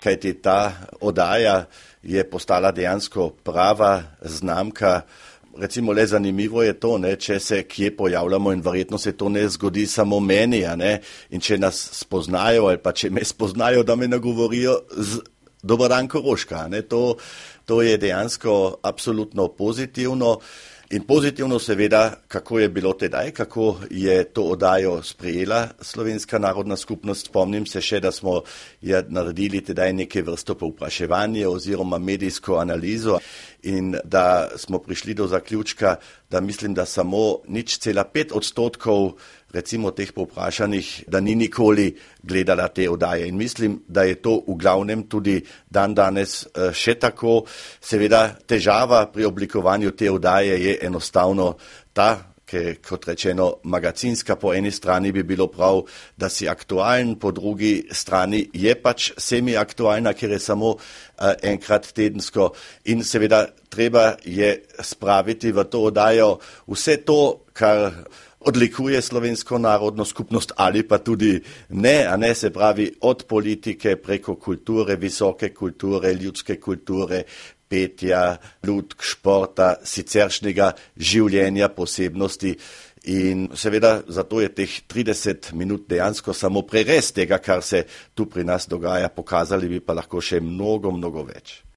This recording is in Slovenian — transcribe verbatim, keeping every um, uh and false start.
kajti ta oddaja je postala dejansko prava znamka. Recimo le zanimivo je to, ne, če se kje pojavljamo in verjetno se to ne zgodi samo meni, a ne, in če nas spoznajo ali pa če me spoznajo, da me nagovorijo z Dober dan Koroška, ne, to, to je dejansko absolutno pozitivno. In pozitivno seveda, kako je bilo tedaj, kako je to oddajo sprejela Slovenska narodna skupnost. Spomnim se še, da smo je naredili tedaj neke vrsto povpraševanje oziroma medijsko analizo in da smo prišli do zaključka, da mislim, da samo nič cela pet odstotkov recimo teh povprašanih, da ni nikoli gledala te oddaje. In mislim, da je to v glavnem tudi dan danes še tako. Seveda težava pri oblikovanju te oddaje je enostavno ta, ker kot rečeno magacinska po eni strani bi bilo prav, da si aktualen, po drugi strani je pač semi-aktualna, ker je samo uh, enkrat tedensko in seveda treba je spraviti v to oddajo vse to, kar odlikuje Slovensko narodno skupnost ali pa tudi ne, a ne, se pravi od politike preko kulture, visoke kulture, ljudske kulture, petja, lutk, športa, siceršnjega življenja, posebnosti. In seveda zato je teh trideset minut dejansko samo prerez tega, kar se tu pri nas dogaja, pokazali bi pa lahko še mnogo, mnogo več.